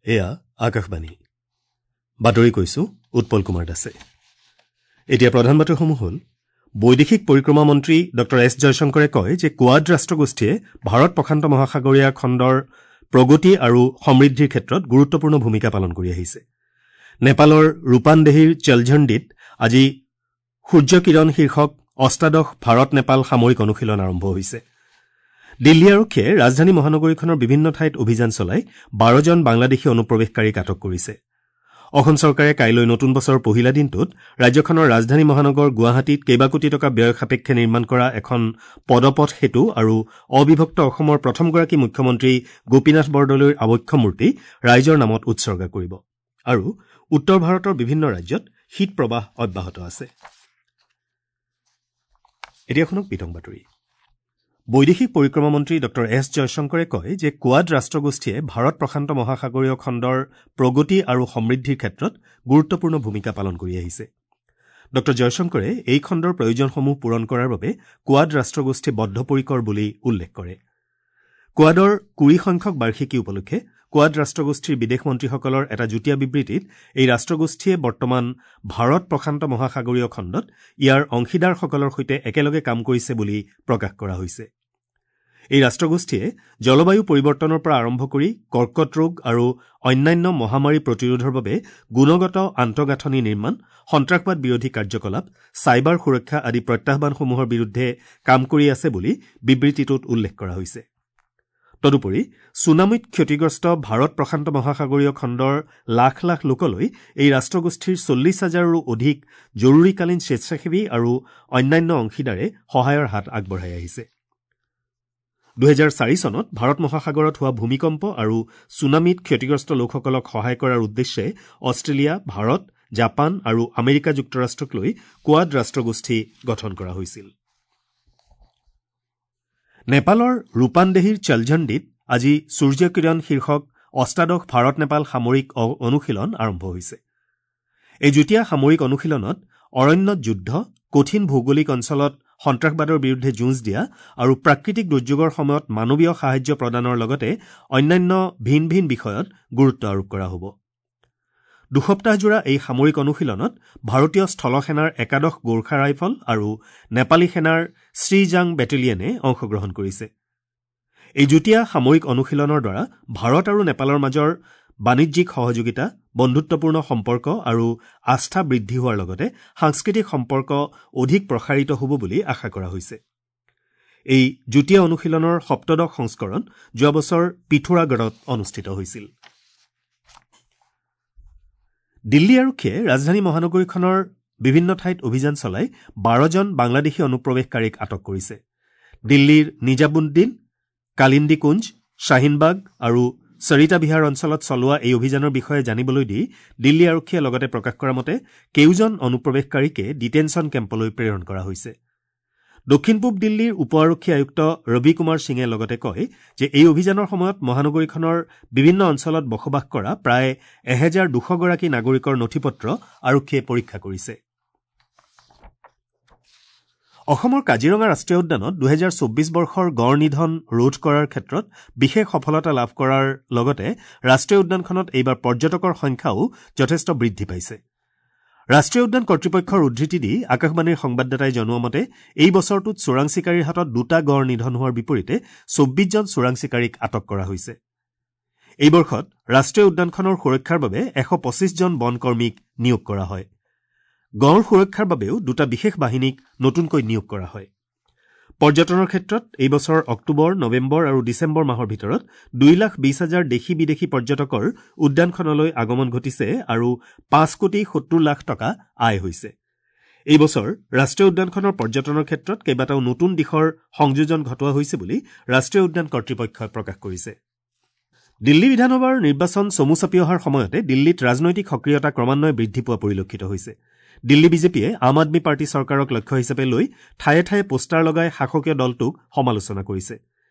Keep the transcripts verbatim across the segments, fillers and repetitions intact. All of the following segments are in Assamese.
এয়া আকাশবাণী বাতৰি কৈছো উৎপল কুমাৰ দাসে। এতিয়া প্ৰধান বাতৰিসমূহ হ'ল বৈদেশিক পৰিক্ৰমা মন্ত্ৰী ডঃ এছ জয়শংকৰে কয় যে কোৱাড ৰাষ্ট্ৰগোষ্ঠীয়ে ভাৰত প্ৰশান্ত মহাসাগৰীয় খণ্ডৰ প্ৰগতি আৰু সমৃদ্ধিৰ ক্ষেত্ৰত গুৰুত্বপূৰ্ণ ভূমিকা পালন কৰি আহিছে। নেপালৰ ৰূপানদেহীৰ চেলঝণ্ডিত আজি সূৰ্যকিৰণ শীৰ্ষক অষ্টাদশ ভাৰত নেপাল সামৰিক অনুশীলন আৰম্ভ হৈছে। দিল্লী আৰক্ষীয়ে ৰাজধানী মহানগৰীখনৰ বিভিন্ন ঠাইত অভিযান চলাই বাৰজন বাংলাদেশী অনুপ্ৰৱেশকাৰীক আটক কৰিছে। অসম চৰকাৰে কাইলৈ নতুন বছৰৰ পহিলা দিনটোত ৰাজ্যখনৰ ৰাজধানী মহানগৰ গুৱাহাটীত কেইবাকোটি টকা ব্যয় সাপেক্ষে নিৰ্মাণ কৰা এখন পদপথ সেতু আৰু অবিভক্ত অসমৰ প্ৰথমগৰাকী মুখ্যমন্ত্ৰী গোপীনাথ বৰদলৈৰ আৱক্ষ মূৰ্তি ৰাইজৰ নামত উৎসৰ্গা কৰিব। আৰু উত্তৰ ভাৰতৰ বিভিন্ন ৰাজ্যত শীত প্ৰবাহ অব্যাহত আছে। এতিয়া শুনক বিতং বাতৰি। বৈদেশিক পৰিক্ৰমা মন্ত্ৰী ডঃ এছ জয়শংকৰে কয় যে কোৱাড ৰাষ্ট্ৰগোষ্ঠীয়ে ভাৰত প্ৰশান্ত মহাসাগৰীয় খণ্ডৰ প্ৰগতি আৰু সমৃদ্ধিৰ ক্ষেত্ৰত গুৰুত্বপূৰ্ণ ভূমিকা পালন কৰি আহিছে। ডঃ জয়শংকৰে এই খণ্ডৰ প্ৰয়োজনসমূহ পূৰণ কৰাৰ বাবে কোৱাড ৰাষ্ট্ৰগোষ্ঠী বদ্ধপৰিকৰ বুলি উল্লেখ কৰে। কোৱাডৰ কুৰি সংখ্যক বাৰ্ষিকী উপলক্ষে কোৱাড ৰাষ্ট্ৰগোষ্ঠীৰ বিদেশ মন্ত্ৰীসকলৰ এটা যুটীয়া বিবৃতিত এই ৰাষ্ট্ৰগোষ্ঠীয়ে বৰ্তমান ভাৰত প্ৰশান্ত মহাসাগৰীয় খণ্ডত ইয়াৰ অংশীদাৰসকলৰ সৈতে একেলগে কাম কৰিছে বুলি প্ৰকাশ কৰা হৈছে। এই ৰাষ্ট্ৰগোষ্ঠীয়ে জলবায়ু পৰিৱৰ্তনৰ পৰা আৰম্ভ কৰি কৰ্কট ৰোগ আৰু অন্যান্য মহামাৰী প্ৰতিৰোধৰ বাবে গুণগত আন্তঃগাঁথনি নিৰ্মাণ, সন্ত্ৰাসবাদ বিৰোধী কাৰ্যকলাপ, চাইবাৰ সুৰক্ষা আদি প্ৰত্যাহ্বানসমূহৰ বিৰুদ্ধে কাম কৰি আছে বুলি বিবৃতিটোত উল্লেখ কৰা হৈছে। তদুপৰি ছুনামিত ক্ষতিগ্ৰস্ত ভাৰত প্ৰশান্ত মহাসাগৰীয় খণ্ডৰ লাখ লাখ লোকলৈ এই ৰাষ্ট্ৰগোষ্ঠীৰ চল্লিছ হাজাৰৰো অধিক জৰুৰীকালীন স্বেচ্ছাসেৱী আৰু অন্যান্য অংশীদাৰে সহায়ৰ হাত আগবঢ়াই আহিছে। দুহেজাৰ চাৰি চনত ভাৰত মহাসাগৰত হোৱা ভূমিকম্প আৰু ছুনামিত ক্ষতিগ্ৰস্ত লোকসকলক সহায় কৰাৰ উদ্দেশ্যে অষ্ট্ৰেলিয়া, ভাৰত, জাপান আৰু আমেৰিকা যুক্তৰাষ্ট্ৰক লৈ কোৱাড ৰাষ্ট্ৰগোষ্ঠী গঠন কৰা হৈছিল। নেপালৰ ৰূপানদেহীৰ চেলঝণ্ডিত আজি সূৰ্যকিৰণ শীৰ্ষক অষ্টাদশ ভাৰত নেপাল সামৰিক অনুশীলন আৰম্ভ হৈছে। এই যুটীয়া সামৰিক অনুশীলনত অৰণ্যত যুদ্ধ, কঠিন ভৌগোলিক অঞ্চলত সন্ত্ৰাসবাদৰ বিৰুদ্ধে যুঁজ দিয়া আৰু প্ৰাকৃতিক দুৰ্যোগৰ সময়ত মানৱীয় সাহায্য প্ৰদানৰ লগতে অন্যান্য ভিন ভিন বিষয়ত গুৰুত্ব আৰোপ কৰা হ'ব। দুসপ্তাহজোৰা এই সামৰিক অনুশীলনত ভাৰতীয় স্থলসেনাৰ একাদশ গোৰ্খা ৰাইফল আৰু নেপালী সেনাৰ শ্ৰীজাং বেটেলিয়নে অংশগ্ৰহণ কৰিছে। এই যুটীয়া সামৰিক অনুশীলনৰ দ্বাৰা ভাৰত আৰু নেপালৰ মাজৰ বাণিজ্যিক সহযোগিতা, বন্ধুত্বপূৰ্ণ সম্পৰ্ক আৰু আস্থা বৃদ্ধি হোৱাৰ লগতে সাংস্কৃতিক সম্পৰ্ক অধিক প্ৰসাৰিত হ'ব বুলি আশা কৰা হৈছে। এই যুটীয়া অনুশীলনৰ সপ্তদশ সংস্কৰণ যোৱা বছৰ পিথোৰাগড়ত অনুষ্ঠিত হৈছিল। দিল্লী আৰক্ষীয়ে ৰাজধানী মহানগৰীখনৰ বিভিন্ন ঠাইত অভিযান চলাই বাৰজন বাংলাদেশী অনুপ্ৰৱেশকাৰীক আটক কৰিছে। দিল্লীৰ নিজামুদ্দিন, কালিন্দী কুঞ্জ, শ্বাহিনবাগ আৰু সৰিতা বিহাৰ অঞ্চলত চলোৱা এই অভিযানৰ বিষয়ে জানিবলৈ দি দিল্লী আৰক্ষীয়ে লগতে প্ৰকাশ কৰা মতে কেইজন অনুপ্ৰৱেশকাৰীকে ডিটেনশ্যন কেম্পলৈ প্ৰেৰণ কৰা হৈছে। দক্ষিণ পূব দিল্লীৰ উপ আৰক্ষী আয়ুক্ত ৰবি কুমাৰ সিঙে লগতে কয় যে এই অভিযানৰ সময়ত মহানগৰীখনৰ বিভিন্ন অঞ্চলত বসবাস কৰা প্ৰায় এহেজাৰ দুশগৰাকী নাগৰিকৰ নথিপত্ৰ আৰক্ষীয়ে পৰীক্ষা কৰিছে। অসমৰ কাজিৰঙা ৰাষ্ট্ৰীয় উদ্যানত দুহেজাৰ চৌব্বিছ বৰ্ষৰ গড় নিধন ৰোধ কৰাৰ ক্ষেত্ৰত বিশেষ সফলতা লাভ কৰাৰ লগতে ৰাষ্ট্ৰীয় উদ্যানখনত এইবাৰ পৰ্যটকৰ সংখ্যাও যথেষ্ট বৃদ্ধি পাইছে। ৰাষ্ট্ৰীয় উদ্যান কৰ্তৃপক্ষৰ উদ্ধৃতি দি আকাশবাণীৰ সংবাদদাতাই জনোৱা মতে এই বছৰটোত চোৰাং চিকাৰীৰ হাতত দুটা গড় নিধন হোৱাৰ বিপৰীতে চৌব্বিছজন চোৰাং চিকাৰীক আটক কৰা হৈছে। এই বৰ্ষত ৰাষ্ট্ৰীয় উদ্যানখনৰ সুৰক্ষাৰ বাবে এশ পঁচিছজন বনকৰ্মীক নিয়োগ কৰা হয়। গড় সুৰক্ষাৰ বাবেও দুটা বিশেষ বাহিনীক নতুনকৈ নিয়োগ কৰা হয়। পৰ্যটনৰ ক্ষেত্ৰত এই বছৰ অক্টোবৰ, নৱেম্বৰ আৰু ডিচেম্বৰ মাহৰ ভিতৰত দুই লাখ বিশ হাজাৰ দেশী বিদেশী পৰ্যটকৰ উদ্যানখনলৈ আগমন ঘটিছে আৰু পাঁচ কোটি সত্তৰ লাখ টকা আয় হৈছে। এই বছৰ ৰাষ্ট্ৰীয় উদ্যানখনৰ পৰ্যটনৰ ক্ষেত্ৰত কেইবাটাও নতুন দিশৰ সংযোজন ঘটোৱা হৈছে বুলি ৰাষ্ট্ৰীয় উদ্যান কৰ্তৃপক্ষই প্ৰকাশ কৰিছে। দিল্লী বিধানসভাৰ নিৰ্বাচন চমু চাপি অহাৰ সময়তে দিল্লীত ৰাজনৈতিক সক্ৰিয়তা ক্ৰমান্বয়ে বৃদ্ধি পোৱা পৰিলক্ষিত হৈছে। দিল্লী বিজেপিয়ে আম আদমী পাৰ্টী চৰকাৰক লক্ষ্য হিচাপে লৈ ঠায়ে ঠায়ে পোষ্টাৰ লগাই শাসকীয় দলটোক সমালোচনা কৰিছে।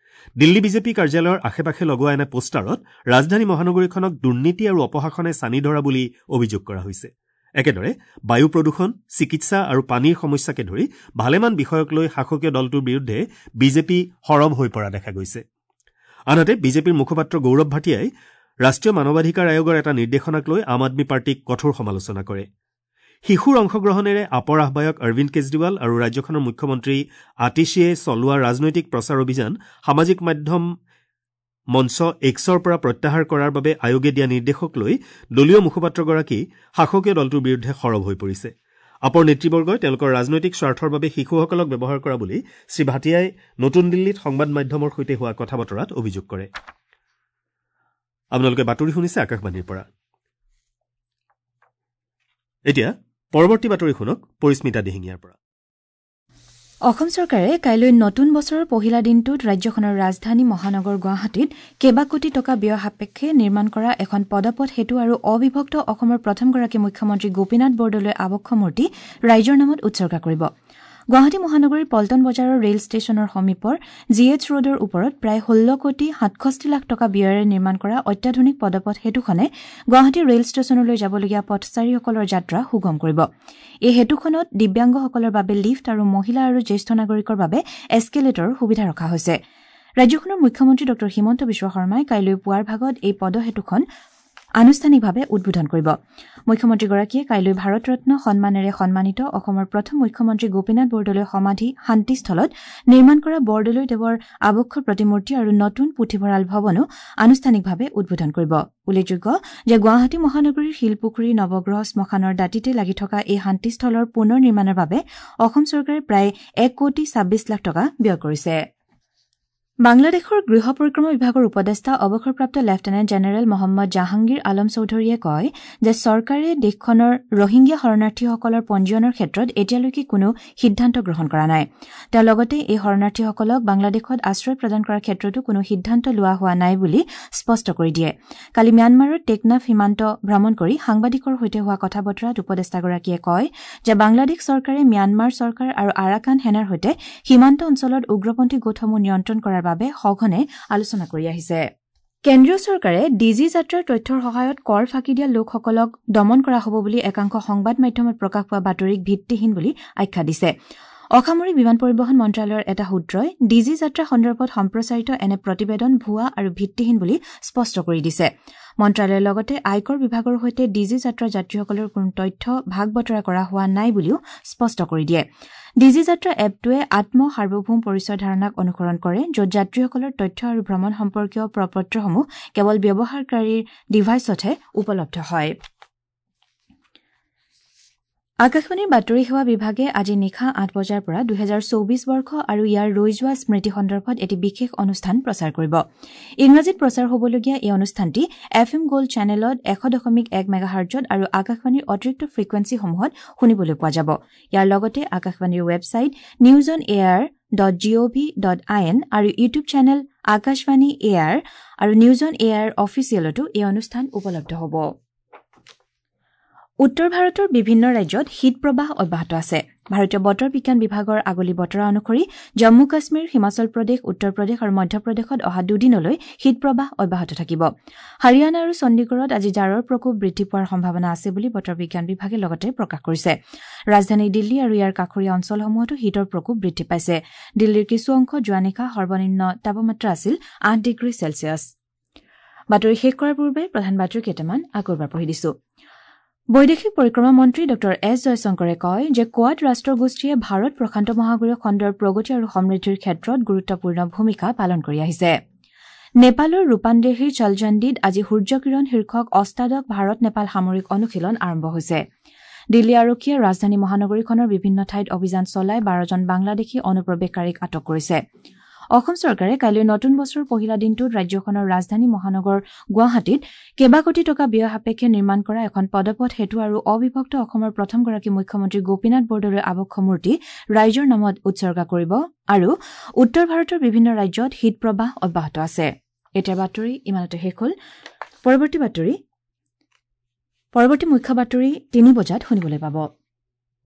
দিল্লী বিজেপি কাৰ্যালয়ৰ আশে পাশে লগোৱা এনে পোষ্টাৰত ৰাজধানী মহানগৰীখনক দুৰ্নীতি আৰু অপশাসনে ছানি ধৰা বুলি অভিযোগ কৰা হৈছে। একেদৰে বায়ু প্ৰদূষণ, চিকিৎসা আৰু পানীৰ সমস্যাকে ধৰি ভালেমান বিষয়ক লৈ শাসকীয় দলটোৰ বিৰুদ্ধে বিজেপি সৰব হৈ পৰা দেখা গৈছে। আনহাতে বিজেপিৰ মুখপাত্ৰ গৌৰৱ ভাটিয়াই ৰাষ্ট্ৰীয় মানৱাধিকাৰ আয়োগৰ এটা নিৰ্দেশনাক লৈ আম আদমী পাৰ্টীক কঠোৰ সমালোচনা কৰে। শিশুৰ অংশগ্ৰহণেৰে আপৰ আহ্বায়ক অৰবিন্দ কেজৰিৱাল আৰু ৰাজ্যখনৰ মুখ্যমন্ত্ৰী আতিশীয়ে চলোৱা ৰাজনৈতিক প্ৰচাৰ অভিযান সামাজিক মাধ্যম মঞ্চ এক্সৰ পৰা প্ৰত্যাহাৰ কৰাৰ বাবে আয়োগে দিয়া নিৰ্দেশক লৈ দলীয় মুখপাত্ৰগৰাকী শাসকীয় দলটোৰ বিৰুদ্ধে সৰব হৈ পৰিছে। আপৰ নেতৃবৰ্গই তেওঁলোকৰ ৰাজনৈতিক স্বাৰ্থৰ বাবে শিশুসকলক ব্যৱহাৰ কৰা বুলি শ্ৰী ভাটিয়াই নতুন দিল্লীত সংবাদ মাধ্যমৰ সৈতে হোৱা কথা বতৰাত অভিযোগ কৰে। আপোনালোকে বাতৰি শুনিছে আকাশবাণীৰ পৰা। এতিয়া পৰৱৰ্তী বাতৰি শুনক পৰিস্মিতা দিহিঙীয়াৰ পৰা। অসম চৰকাৰে কাইলৈ নতুন বছৰৰ পহিলা দিনটোত ৰাজ্যখনৰ ৰাজধানী মহানগৰ গুৱাহাটীত কেইবা কোটি টকা ব্যয় সাপেক্ষে নিৰ্মাণ কৰা এখন পদপথ সেতু আৰু অবিভক্ত অসমৰ প্ৰথমগৰাকী মুখ্যমন্ত্ৰী গোপীনাথ বৰদলৈৰ আৱক্ষ মূৰ্তি ৰাইজৰ নামত উৎসৰ্গা কৰিব। গুৱাহাটী মহানগৰীৰ পল্টন বজাৰৰ ৰেল ষ্টেচনৰ সমীপৰ জি এইচ ৰোডৰ ওপৰত প্ৰায় ষোল্ল কোটি সাতষষ্ঠি লাখ টকা ব্যয়েৰে নিৰ্মাণ কৰা অত্যাধুনিক পদপথ সেতুখনে গুৱাহাটী ৰেল ষ্টেচনলৈ যাবলগীয়া পথচাৰীসকলৰ যাত্ৰা সুগম কৰিব। এই সেতুখনত দিব্যাংগসকলৰ বাবে লিফ্ট আৰু মহিলা আৰু জ্যেষ্ঠ নাগৰিকৰ বাবে এস্কেলেটৰৰ সুবিধা ৰখা হৈছে। ৰাজ্যখনৰ মুখ্যমন্ত্ৰী ডঃ হিমন্ত বিশ্ব শৰ্মাই কাইলৈ পুৱাৰ ভাগত এই পদসেতুখন আনুষ্ঠানিকভাৱে উদ্বোধন কৰিব। মুখ্যমন্ত্ৰীগৰাকীয়ে কাইলৈ ভাৰতৰত্ন সন্মানেৰে সন্মানিত অসমৰ প্ৰথম মুখ্যমন্ত্ৰী গোপীনাথ বৰদলৈৰ সমাধি শান্তিস্থলত নিৰ্মাণ কৰা বৰদলৈ দেৱৰ আৱক্ষ প্ৰতিমূৰ্তি আৰু নতুন পুথিভঁৰাল ভৱনো আনুষ্ঠানিকভাৱে উদ্বোধন কৰিব। উল্লেখযোগ্য যে গুৱাহাটী মহানগৰীৰ শিলপুখুৰী নৱগ্ৰহ শ্মশানৰ দাঁতিতে লাগি থকা এই শান্তিস্থলৰ পুনৰ নিৰ্মাণৰ বাবে অসম চৰকাৰে প্ৰায় এক কোটি ছাব্বিছ লাখ টকা ব্যয় কৰিছে। বাংলাদেশৰ গৃহ পৰিক্ৰমা বিভাগৰ উপদেষ্টা অৱসৰপ্ৰাপ্ত লেফটেনেণ্ট জেনেৰেল মহম্মদ জাহাংগীৰ আলম চৌধুৰীয়ে কয় যে চৰকাৰে দেশখনৰ ৰোহিংগীয়া শৰণাৰ্থীসকলৰ পঞ্জীয়নৰ ক্ষেত্ৰত এতিয়ালৈকে কোনো সিদ্ধান্ত গ্ৰহণ কৰা নাই। তেওঁ লগতে এই শৰণাৰ্থীসকলক বাংলাদেশত আশ্ৰয় প্ৰদান কৰাৰ ক্ষেত্ৰতো কোনো সিদ্ধান্ত লোৱা হোৱা নাই বুলি স্পষ্ট কৰি দিয়ে। কালি ম্যানমাৰৰ টেকনাফ সীমান্ত ভ্ৰমণ কৰি সাংবাদিকৰ সৈতে হোৱা কথা বতৰাত উপদেষ্টাগৰাকীয়ে কয় যে বাংলাদেশ চৰকাৰে ম্যানমাৰ চৰকাৰ আৰু আৰাকান সেনাৰ সৈতে সীমান্ত অঞ্চলত উগ্ৰপন্থী গোটসমূহ নিয়ন্ত্ৰণ কৰাৰ বাবে সঘনে আলোচনা কৰি আহিছে। কেন্দ্ৰীয় চৰকাৰে ডিজি যাত্ৰাৰ তথ্যৰ সহায়ত কৰ ফাঁকি দিয়া লোকসকলক দমন কৰা হ'ব বুলি একাংশ সংবাদ মাধ্যমত প্ৰকাশ পোৱা বাতৰিক ভিত্তিহীন বুলি আখ্যা দিছে। অসামৰিক বিমান পৰিবহণ মন্ত্ৰালয়ৰ এটা সূত্ৰই ডিজি যাত্ৰা সন্দৰ্ভত সম্প্ৰচাৰিত এনে প্ৰতিবেদন ভুৱা আৰু ভিত্তিহীন বুলি স্পষ্ট কৰি দিছে। মন্ত্ৰালয়ৰ লগতে আয়কৰ বিভাগৰ সৈতে ডিজি যাত্ৰাৰ যাত্ৰীসকলৰ কোনো তথ্য ভাগ বতৰা কৰা হোৱা নাই বুলিও স্পষ্ট কৰি দিয়ে। ডিজি যাত্ৰা এপটোৱে আত্ম সাৰ্বভৌম পৰিচয় ধাৰণাক অনুসৰণ কৰে, য'ত যাত্ৰীসকলৰ তথ্য আৰু ভ্ৰমণ সম্পৰ্কীয় প্ৰপত্ৰসমূহ কেৱল ব্যৱহাৰকাৰীৰ ডিভাইচতহে উপলব্ধ হয়। আকাশবাণীৰ বাতৰি সেৱা বিভাগে আজি নিশা আঠ বজাৰ পৰা দুহেজাৰ চৌবিশ বৰ্ষ আৰু ইয়াৰ ৰৈ যোৱা স্মৃতি সন্দৰ্ভত এটি বিশেষ অনুষ্ঠান প্ৰচাৰ কৰিব। ইংৰাজীত প্ৰচাৰ হ'বলগীয়া এই অনুষ্ঠানটি এফ এম গ'ল্ড চেনেলত এশ দশমিক এক মেগাহাৰ্জত আৰু আকাশবাণীৰ অতিৰিক্ত ফ্ৰিকুৱেঞ্চিসমূহত শুনিবলৈ পোৱা যাব। ইয়াৰ লগতে আকাশবাণীৰ website news on air dot G O V dot I N আৰু ইউটিউব চেনেল আকাশবাণী এয়াৰ আৰু নিউজ অন এয়াৰ অফিচিয়েলতো এই অনুষ্ঠান উপলব্ধ হ'ব। উত্তৰ ভাৰতৰ বিভিন্ন ৰাজ্যত শীতপ্ৰবাহ অব্যাহত আছে। ভাৰতীয় বতৰ বিজ্ঞান বিভাগৰ আগলি বতৰা অনুসৰি জম্মু কাশ্মীৰ, হিমাচল প্ৰদেশ, উত্তৰ প্ৰদেশ আৰু মধ্যপ্ৰদেশত অহা দুদিনলৈ শীতপ্ৰবাহ অব্যাহত থাকিব। হাৰিয়ানা আৰু চণ্ডীগড়ত আজি জাৰৰ প্ৰকোপ বৃদ্ধি পোৱাৰ সম্ভাৱনা আছে বুলি বতৰ বিজ্ঞান বিভাগে লগতে প্ৰকাশ কৰিছে। ৰাজধানী দিল্লী আৰু ইয়াৰ কাষৰীয়া অঞ্চলসমূহতো শীতৰ প্ৰকোপ বৃদ্ধি পাইছে। দিল্লীৰ কিছু অংশ যোৱা নিশা সৰ্বনিম্ন তাপমাত্ৰা আছিল আঠ ডিগ্ৰী চেলছিয়াছ। বাতৰি শেষ কৰাৰ পূৰ্বে প্ৰধান বাতৰি কেইটামান আকৌ এবাৰ পঢ়ি দিছো। বৈদেশিক পৰিক্ৰমা মন্ত্ৰী ডঃ এছ জয়শংকৰে কয় যে কোৱাড ৰাষ্ট্ৰগোষ্ঠীয়ে ভাৰত প্ৰশান্ত মহাসাগৰীয় খণ্ডৰ প্ৰগতি আৰু সমৃদ্ধিৰ ক্ষেত্ৰত গুৰুত্বপূৰ্ণ ভূমিকা পালন কৰি আহিছে। নেপালৰ ৰূপানদেহীৰ চলজণ্ডীত আজি সূৰ্যকিৰণ শীৰ্ষক অষ্টাদশ ভাৰত নেপাল সামৰিক অনুশীলন আৰম্ভ হৈছে। দিল্লী আৰক্ষীয়ে ৰাজধানী মহানগৰীখনৰ বিভিন্ন ঠাইত অভিযান চলাই বাৰজন বাংলাদেশী অনুপ্ৰৱেশকাৰীক আটক কৰিছে। অসম চৰকাৰে কাইলৈ নতুন বছৰৰ পহিলা দিনটোত ৰাজ্যখনৰ ৰাজধানী মহানগৰ গুৱাহাটীত কেইবা কোটি টকা ব্যয় সাপেক্ষে নিৰ্মাণ কৰা এখন পদপথ সেতু আৰু অবিভক্ত অসমৰ প্ৰথমগৰাকী মুখ্যমন্ত্ৰী গোপীনাথ বৰদলৈৰ আৱক্ষ মূৰ্তি ৰাইজৰ নামত উৎসৰ্গা কৰিব। আৰু উত্তৰ ভাৰতৰ বিভিন্ন ৰাজ্যত শীতপ্ৰবাহ অব্যাহত আছে। এতিয়া বাতৰি ইমানতে শেষ হ'ল। পৰৱৰ্তী বাতৰি পৰৱৰ্তী মুখ্য বাতৰি তিনি বজাত শুনিবলৈ পাব।